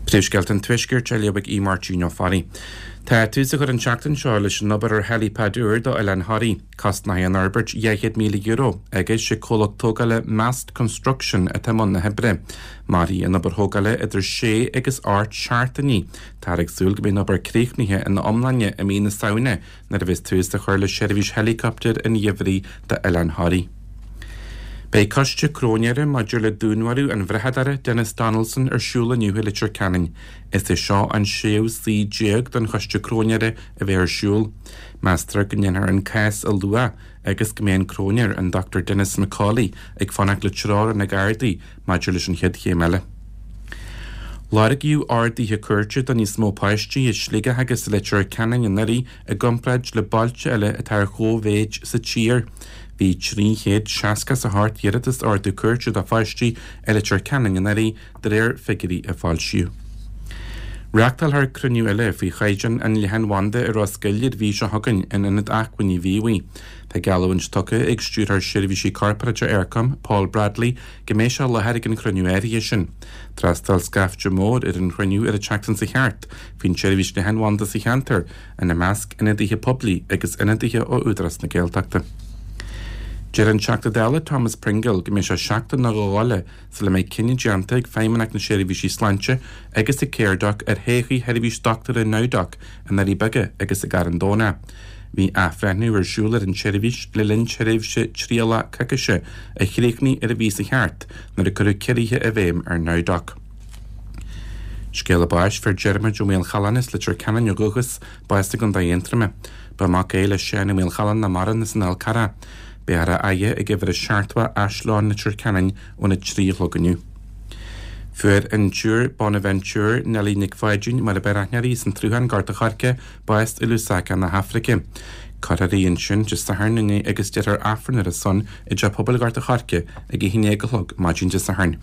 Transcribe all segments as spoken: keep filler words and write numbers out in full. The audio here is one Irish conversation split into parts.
Príomhscéalta an Tuaiscirt á léamh ag Máirtín Ó Fearraigh. Tá tús á chur an tseachtain seo leis an obair ar helipad úr do Oileán Thoraí. Cosnóidh an fhorbairt dhá chéad míle euro agus sé comhlacht tógála Mast Construction atá i mbun na hoibre. Mairfidh an obair thógála idir sé agus ocht seachtainí. Táthar ag súil go mbeidh an obair críochnaithe ina iomláine i mí na Samhna nuair a bheas tús á chur le seirbhís héileacaptair an gheimhridh d'Oileán Thoraí. Beidh coiste cróinéara maidir le dúnmharú an bhrathadóra Denis Donaldson ar siúl inniu i Leitir Ceanainn. Is é seo an séú suí déag don choiste cróinéara a bheith ar siúl. Meastar go ndéanfar an cás a lua agus go mbeidh an cróinéir an Dr Denis McCauley ag fanacht le treoir ó na Gardaí maidir leis an chéad chéim eile. Lorgaíodh orduithe cúirte do níos mó páistí i Sligeach agus i Leitir Ceanainn anuraidh i gcomparáid le bailte eile atá ar chóimhéid sa tír. Bhí trí chéad seasca is a hocht iarratas ordú cúirte do pháistí i Leitir Ceanainn anuraidh de réir figiúirí a foilsíodh. Reáchtálfar cruinniú eile faoi chaighdeán an leathanbhanda i Ros Goill ar mhí seo chugainn in Ionad Acmhainní Mhíobhaigh. Tá geallúint tugtha ag Stiúrthóir Seirbhísí Corparáide Eircom, Paul Bradley, go mbeidh sé i láthair ag an chruinniú áirithe sin. D'fhreastail scaifte mór ar an chruinniú ar an tseachtain seo thart faoin tseirbhís leathanbhanda sa cheantar, ina measc ionadaithe poiblí agus ionadaithe ó Údarás na Gaeltachta. Deir an Teachta Dála Thomas Pringle go mbeidh sé seachtain nó dhó eile sula mbeidh cinneadh déanta ag Feidhmeannacht na Seirbhísí Sláinte agus ag Caredoc ar thodhchaí sheirbhís dochtúra NowDoc i nDoirí Beaga agus i gCarn Domhnach. Bhí athbhreithniú ar siúl ar an tseirbhís le linn tréimhse trialach coicíse a chríochnaigh ar an mhí seo thart nuair a cuireadh ciorruithe i bhfeidhm ar NowDoc. Scéala báis fuair Diarmuid Ó Maolchalláin as Leitir Ceanainn ó dhúchas, bás i gContae Aontroma. Ba mhac é le Seán Ó Maolchalláin nach maireann as an Fhál Carrach. Beifear á fhaire ag uimhir a seachtó Áislann Leitir Ceanainn óna trí a chlog inniu. Fuair an tSiúr Bonaventure Nellie Nic Pháidín mar a b'fhearr aithne uirthi as an tSruthán Gort a' Choirce, bás i Lusaka na hAfraice. Cuirfear í ansin Dé Sathairn inné agus déarfar Aifreann ar a son i dTeach Pobail Ghort a' Choirce ag a haon déag a chlog maidin Dé Sathairn.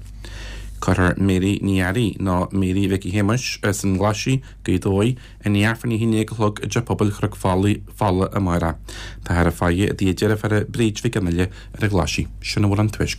Cuirfear Mary Ní Fhearraigh nó Mary Mhicí Shéamuis as an nGlaisigh, Gaoth Dobhair, ina Aifreann a haon déag a chlog i dTeach Pobail Chnoc Fola amárach. Táthar á faire i dtigh a deirfiúra Bríd Mhic Fhionnghaile ar an Ghlaisigh. Sin a bhfuil an tuaisceart.